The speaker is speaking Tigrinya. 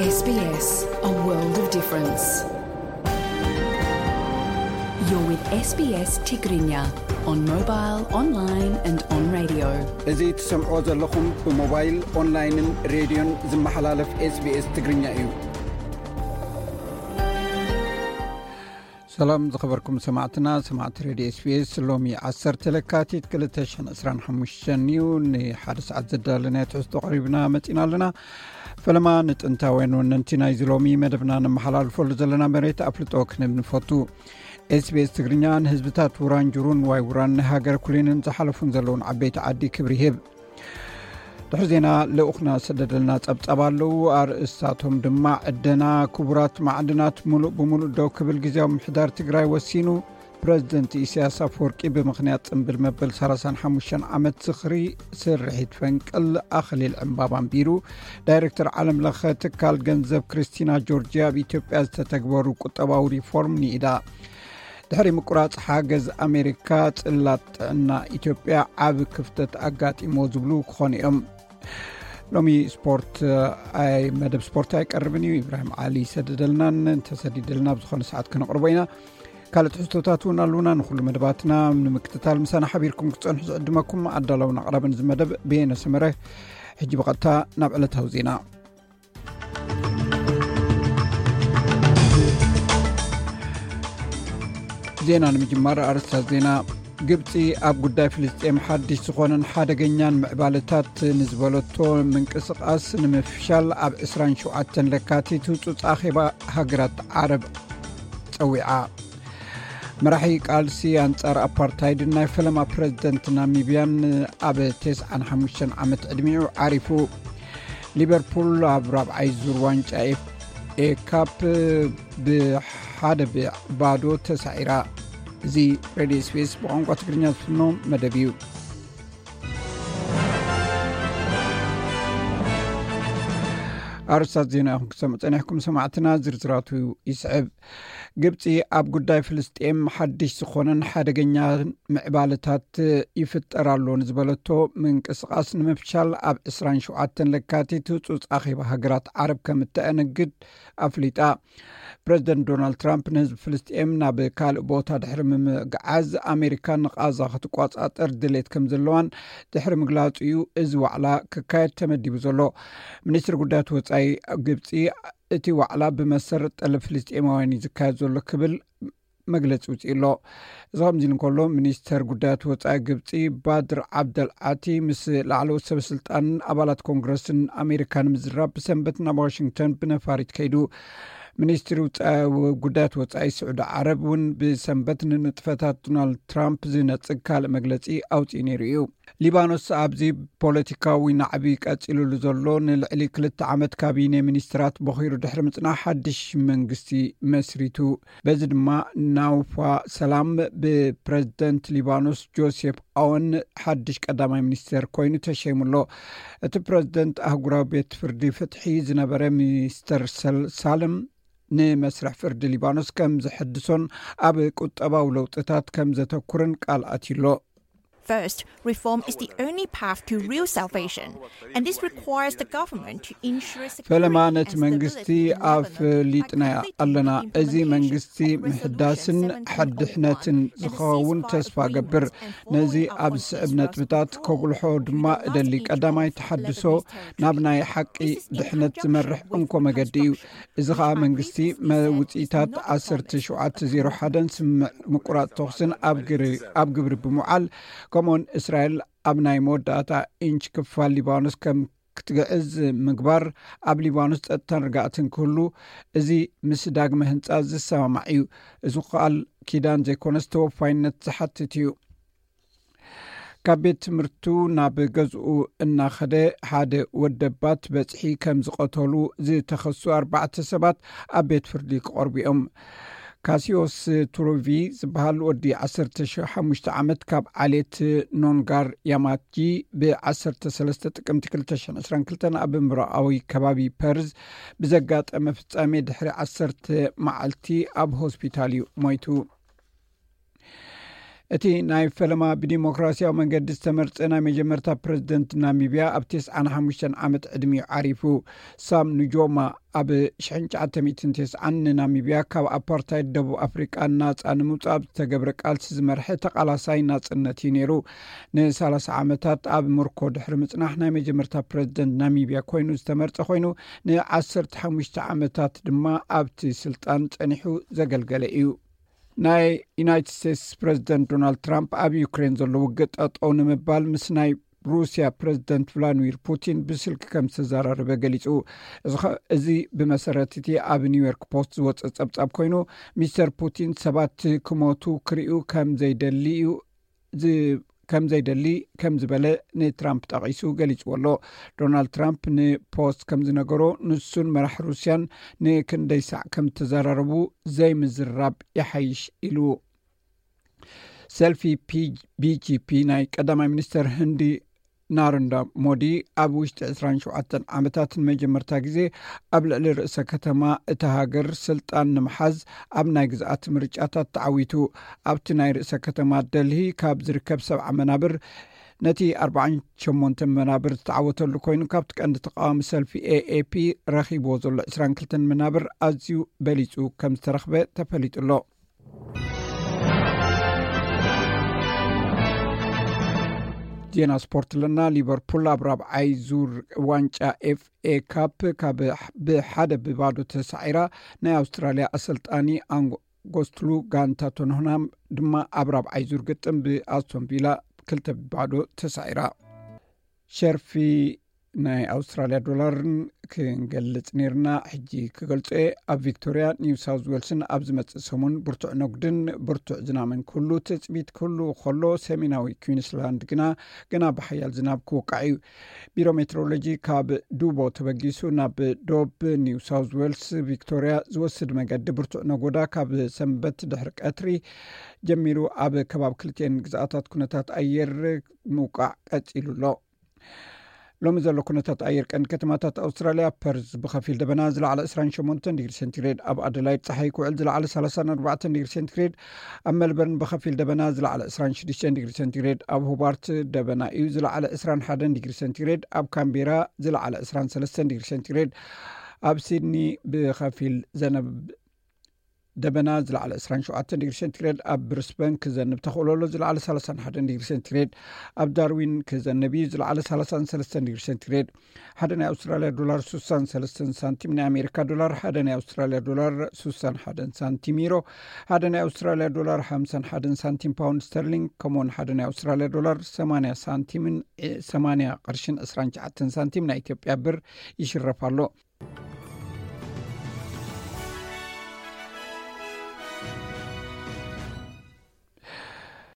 S B S, a world of difference. You're with S B S Tigrinya on mobile, online and on radio. እዚ ትሰምዕዎ ዘለኹም ብሞባይል፣ ኦንላይንን ሬድዮን ዝመሓላለፍ SBS ትግርኛ እዩ። ሰላም ዝኸበርኩም ሰማዕትና፣ ሰማዕቲ ሬድዮ SBS፣ ሎሚ ዓሰርተ ለካቲት ክልተ ሽሕን ዕስራን ሓሙሽተን እዩ። ንሓደ ሰዓት ዘዳለናዮ ትሕዝቶ ቀሪብና መጺና ኣለና። ፈለማ ንጥንታውያን ወነንቲ ናይዚ ሎሚ መደብና ነመሓላልፈሉ ዘለና መሬት ኣፍልጦ ክንህብ ንፈቱ። SBS ትግርኛ ንህዝብታት ውራን ጅሩን ዋይ ውራን ናይ ሃገር ኩሊንን ዝሓለፉን ዘለውን ዓበይቲ ዓዲ ክብሪ ይህብ። ድሕሪ ዜና ልኡኽና ሰደደልና ጸብጻብ ኣለዉ። ኣርእስታቶም ድማ ዕደና ክቡራት ማዕድናት ሙሉእ ብሙሉእ ደው ክብል ግዜያዊ ምምሕዳር ትግራይ ወሲኑ፣ ፕረዚደንት ኢሳያስ ኣፈወርቂ ብምኽንያት ጽምብል መበል ሰላሳን ሓሙሽተን ዓመት ዝኽሪ ስርሒት ፈንቅል ኣኽሊል ዕምባባ ኣንቢሩ፣ ዳይሬክተር ዓለም ለኸ ትካል ገንዘብ ክርስቲና ጆርጅያ ኣብ ኢትዮጵያ ዝተተግበሩ ቁጠባዊ ሪፎርም ንኢዳ። ድሕሪ ምቁራጽ ሓገዝ ኣሜሪካ፣ ጽላት ጥዕና ኢትዮጵያ ዓቢ ክፍተት ኣጋጢሞ ዝብሉ ክኾኑ እዮም። ሎሚ ስፖርት፣ ኣይ፣ መደብ ስፖርት ኣይቀርብን እዩ። ኢብራሂም ዓሊ ይሰደደልናን እንተሰዲደልና ኣብ ዝኾነ ሰዓት ክነቕርቦ ኢና። ካልእ ትሕዝቶታት እውን ኣለዉና። ንኹሉ መደባትና ንምክትታል ምሳና ሓቢርኩም ክትጸንሑ ዝዕድመኩም ኣዳላውን ኣቕራብን እዚ መደብ ብየነ ሰመረ። ሕጂ ብቐጥታ ናብ ዕለታዊ ዜና። ዜና ንምጅማር ኣርእስታት ዜና። ግብጺ ኣብ ጉዳይ ፍልስጤም ሓድሽ ዝኾነን ሓደገኛን ምዕባለታት ንዝበለቶ ምንቅስቓስ ንምፍሻል ኣብ ዕስራን ሸውዓተን ለካቲት ህጹጽ ኣኼባ ሃገራት ዓረብ ጸዊዓ። መራሒ ቃልሲ ኣንጻር ኣፓርታይድን ናይ ፈለማ ፕረዚደንት ናሚብያን ኣብ ተስዓን ሓሙሽተን ዓመት ዕድሚኡ ዓሪፉ። ሊቨርፑል ኣብ ራብዓይ ዙር ዋንጫ ኤፍ ኤ ካፕ ብሓደ ብባዶ ተሳዒራ። እዚ ሬድዮ ስፔስ ብቋንቋ ትግርኛ ዝፍኖ መደብ እዩ። ኣርስታት ዜና ኢኹም ክሰምዑ ጸኒሕኩም ሰማዕትና፣ ዝርዝራቱ ይስዕብ። ግብጺ ኣብ ጉዳይ ፍልስጤም ሓድሽ ዝኾነን ሓደገኛ ምዕባለታት ይፍጠር ኣሎ ንዝበለቶ ምንቅስቓስ ንምፍሻል ኣብ ዕስራን ሸውዓተን ለካቲት ህጹጽ ኣኼባ ሃገራት ዓረብ ከም እተኣነግድ ኣፍሊጣ። ፕረዚደንት ዶናልድ ትራምፕ ንህዝቢ ፍልስጤም ናብ ካልእ ቦታ ድሕሪ ምምግዓዝ ኣሜሪካ ንቓዛ ክትቆጻጸር ድሌት ከም ዘለዋን ድሕሪ ምግላጹ እዩ እዚ ዋዕላ ክካየድ ተመዲቡ ዘሎ። ሚኒስትሪ ጉዳያት ወጻኢ ግብጺ እቲ ዋዕላ ብመሰረት ጠለብ ፍልስጤማውያን እዩ ዝካየድ ዘሎ ክብል መግለጺ ውጽኢ ኣሎ። እዚ ከምዚ ኢሉ እንከሎ፣ ሚኒስተር ጉዳያት ወጻኢ ግብጺ ባድር ዓብደል ዓቲ ምስ ላዕለዎት ሰበ ስልጣንን ኣባላት ኮንግረስን ኣሜሪካ ንምዝራብ ብሰንበት ናብ ዋሽንግተን ብነፋሪት ከይዱ። ሚኒስትሪ ውጻ-፣ ጉዳያት ወጻኢ ስዑዲ ዓረብ እውን ብሰንበት ንንጥፈታት ዶናልድ ትራምፕ ዝነጽግ ካልእ መግለጺ ኣውጺኡ ነይሩ እዩ። ሊባኖስ ኣብዚ ፖለቲካዊ ናዕቢ ቀጺሉሉ ዘሎ ንልዕሊ ክልተ ዓመት ካቢነ ሚኒስትራት በኺሩ ድሕሪ ምጽናሕ ሓድሽ መንግስቲ መስሪቱ። በዚ ድማ ናውፋ ሰላም ብፕረዚደንት ሊባኖስ ጆሴፍ ኣወን ሓድሽ ቀዳማይ ሚኒስተር ኮይኑ ተሸይሙ ኣሎ። እቲ ፕረዚደንት ኣህጉራዊ ቤት ፍርዲ ፍትሒ ዝነበረ ሚስተር ሰል-፣ ሳልም ንመስርሕ ፍርዲ ሊባኖስ ከም ዘሐድሶን ኣብ ቁጠባዊ ለውጥታት ከም ዘተኩርን ቃል ኣትዩ ኣሎ። First, reform is the only path to real salvation, and this requires the government to ensure security ፈለማ and ነቲ መንግስቲ stability in Lebanon by ኣፍሊጥና completing ኣለና። the እዚ implementation መንግስቲ of Resolution ምሕዳስን seven three eight one ሓድሕነትን and the ዝኸውን ceasefire ተስፋ agreement ገብር። And ነዚ following up ኣብ on ዝስዕብ Israel's ነጥብታት withdrawal ከጉልሖ from ድማ the last እደሊ። ቀዳማይ intervention ተሓድሶ Lebanese ናብ territory። ናይ ሓቂ This is in ድሕነት conjunction ዝመርሕ with እንኮ መገዲ እዩ። construction እዚ ከዓ መንግስቲ መውፅኢታት ዓሰርተ ሸውዓተ ዜሮ ሓደን ስምምዕ ምቁራፅ ተኹስን ኣብ ግሪ-፣ ኣብ ግብሪ ብምውዓል፣ ከምኡውን እስራኤል ኣብ ናይ መወዳእታ ኢንች ክፋል ሊባኖስ ከም ክትግዕዝ ምግባር፣ ኣብ ሊባኖስ ጸጥታን ርግኣትን ክህሉ፣ እዚ ምስ ዳግመ ህንጻ ዝሰማማዕ እዩ። እዚ ቃል ኪዳን ዘይኮነስ ተወፋይነት ዝሓትት እዩ። ካብ ቤት ትምህርቱ ናብ ገዝኡ እናኸደ ሓደ ወደባት በጽሒ ከም ዝቐተሉ ዝተኸሱ ኣርባዕተ ሰባት ኣብ ቤት ፍርዲ ክቐርቡ እዮም። ካሲዮስ ቱሩቪ ዝበሃል ወዲ ዓሰርተ ሓሙሽተ ዓመት ካብ ዓሌት ኖንጋር ያማጂ ብ ዓሰርተ ሰለስተ ጥቅምቲ ክልተ ሽሕን ዕስራን ክልተን ኣብ ምብራቓዊ ከባቢ ፐርዝ ብዘጋጠመ ፍጻሜ ድሕሪ ዓሰርተ መዓልቲ ኣብ ሆስፒታል እዩ ሞይቱ። እቲ ናይ ፈለማ ብዲሞክራሲያዊ መንገዲ ዝተመርጸ ናይ መጀመርታ ፕረዚደንት ናሚብያ ኣብ ተስዓን ሓሙሽተን ዓመት ዕድሚኡ ዓሪፉ። ሳም ኑጆማ ኣብ ሽሕን ትሽዓተ ሚእትን ተስዓን ንናሚብያ ካብ ኣፓርታይድ ደቡብ ኣፍሪቃ ናጻ ንምውጻእ ኣብ ዝተገብረ ቃልሲ ዝመርሐ ተቓላሳይ ናጽነት እዩ ነይሩ። ንሳላሳ ዓመታት ኣብ ምርኮ ድሕሪ ምጽናሕ ናይ መጀመርታ ፕረዚደንት ናሚብያ ኮይኑ ዝተመርጸ ኮይኑ ንዓሰርተ ሓሙሽተ ዓመታት ድማ ኣብቲ ስልጣን ጸኒሑ ዘገልገለ እዩ። ናይ ዩናይትድ ስቴትስ ፕረዚደንት ዶናልድ ትራምፕ ኣብ ዩክሬን ዘሎ ውግእ ጠጠው ንምባል ምስ ናይ ሩስያ ፕረዚደንት ቭላድሚር ፑቲን ብስልኪ ከም ዝተዘራረበ ገሊጹ። እዚ ኸ- እዚ ብመሰረት እቲ ኣብ ኒውዮርክ ፖስት ዝወፀ ጸብጻብ ኮይኑ፣ ሚስተር ፑቲን ሰባት ክሞቱ ክርእዩ ከም ዘይደሊ እዩ ዝ- ከም ዘይደሊ ከም ዝበለ ንትራምፕ ጠቒሱ ገሊጽዎ ኣሎ። ዶናልድ ትራምፕ ንፖስት ከም ዝነገሮ፣ ንሱን መራሕ ሩስያን ንክንደይ ሳዕ ከም ተዘራረቡ ዘይምዝራብ ይሓይሽ ኢሉ። ሰልፊ ፒ- ቢጂፒ ናይ ቀዳማይ ሚኒስተር ህንዲ ናረንዳ ሞዲ ኣብ ውሽጢ ዕስራን ሸውዓተን ዓመታት ንመጀመርታ ግዜ ኣብ ልዕሊ ርእሰ ከተማ እታ ሃገር ስልጣን ንምሓዝ ኣብ ናይ ግዝኣት ምርጫታት ተዓዊቱ። ኣብቲ ናይ ርእሰ ከተማ ደልሂ ካብ ዝርከብ ሰብዓ መናብር ነቲ ኣርባዓን ሸሞንተን መናብር ዝተዓወተሉ ኮይኑ፣ ካብቲ ቀንዲ ተቃዋሚ ሰልፊ ኤኤፒ ረኺብዎ ዘሎ ዕስራን ክልተን መናብር ኣዝዩ በሊጹ ከም ዝተረኽበ ተፈሊጡ ኣሎ። ዜና ስፖርት ኣለና። ሊቨርፑል ኣብ ራብዓይ ዙር ዋንጫ ኤፍኤ ካፕ ካብ ብሓደ ብባዶ ተሳዒራ ናይ ኣውስትራልያ ኣሰልጣኒ ኣንጎ ጎስትሉ ጋንታ ቶንሆናም ድማ ኣብ ራብዓይ ዙር ግጥም ብኣስቶን ቪላ ክልተ ብባዶ ተሳዒራ። ሸርፊ ናይ ኣውስትራልያ ዶላርን ክንገልጽ ነርና፣ ሕጂ ክገልጾ እየ። ኣብ ቪክቶርያ፣ ኒው ሳውዝ ዌልስን ኣብ ዝመጽእ ሰሙን ብርቱዕ ነጉድን ብርቱዕ ዝናምን ክህሉ ትጽቢት ክህሉ ከሎ፣ ሰሜናዊ ኩዊንስላንድ ግና ገና ብሓያል ዝናብ ክወቃዕ እዩ። ቢሮ ሜትሮሎጂ ካብ ዱቦ ተበጊሱ ናብ ዶብ ኒው ሳውዝ ዌልስ ቪክቶርያ ዝወስድ መገዲ ብርቱዕ ነጎዳ ካብ ሰንበት ድሕሪ ቀትሪ ጀሚሩ ኣብ ከባቢ ክልቲኤን ግዝኣታት ኩነታት ኣየር ምውቃዕ ቀጺሉ ኣሎ። ሎሚ ዘሎ ኩነታት ኣየር ቀንዲ ከተማታት ኣውስትራልያ፣ ፐርዝ ብኸፊል ደበና ዝለዓለ ዕስራን ሸሞንተን ዲግሪ ሴንቲግሬድ፣ ኣብ ኣደላይድ ጸሓይ ክውዕል ዝለዓለ ሰላሳን ኣርባዕተን ዲግሪ ሴንቲግሬድ፣ ኣብ መልበርን ብኸፊል ደበና ዝለዓለ ዕስራን ሽዱሽተን ዲግሪ ሴንቲግሬድ፣ ኣብ ሆባርት ደበና እዩ ዝለዓለ ዕስራን ሓደን ዲግሪ ሴንቲግሬድ፣ ኣብ ካምቤራ ዝለዓለ ዕስራን ሰለስተን ዲግሪ ሴንቲግሬድ፣ ኣብ ሲድኒ ብኸፊል ዘነብ ደበና ዝለዓለ ዕስራን ሸውዓተን ዲግሪ ሴንቲግሬድ፣ ኣብ ብሪስበን ክዘንብ ተኽእሎ ኣሎ ዝለዓለ ሰላሳን ሓደን ዲግሪ ሴንቲግሬድ፣ ኣብ ዳርዊን ክዘንብ እዩ ዝለዓለ ሰላሳን ሰለስተን ዲግሪ ሴንቲግሬድ። ሓደ ናይ ኣውስትራልያ ዶላር ሱሳን ሰለስተን ሳንቲም፣ ናይ ኣሜሪካ ዶላር ሓደ ናይ ኣውስትራልያ ዶላር ሱሳን ሓደን ሳንቲም፣ ዩሮ ሓደ ናይ ኣውስትራልያ ዶላር ሓምሳን ሓደን ሳንቲም፣ ፓውንድ ስተርሊንግ ከምኡውን ሓደ ናይ ኣውስትራልያ ዶላር ሰማንያ ሳንቲምን ዒ- ሰማንያ ቅርሽን ዕስራን ትሽዓተን ሳንቲም ናይ ኢትዮጵያ ብር ይሽረፍ ኣሎ።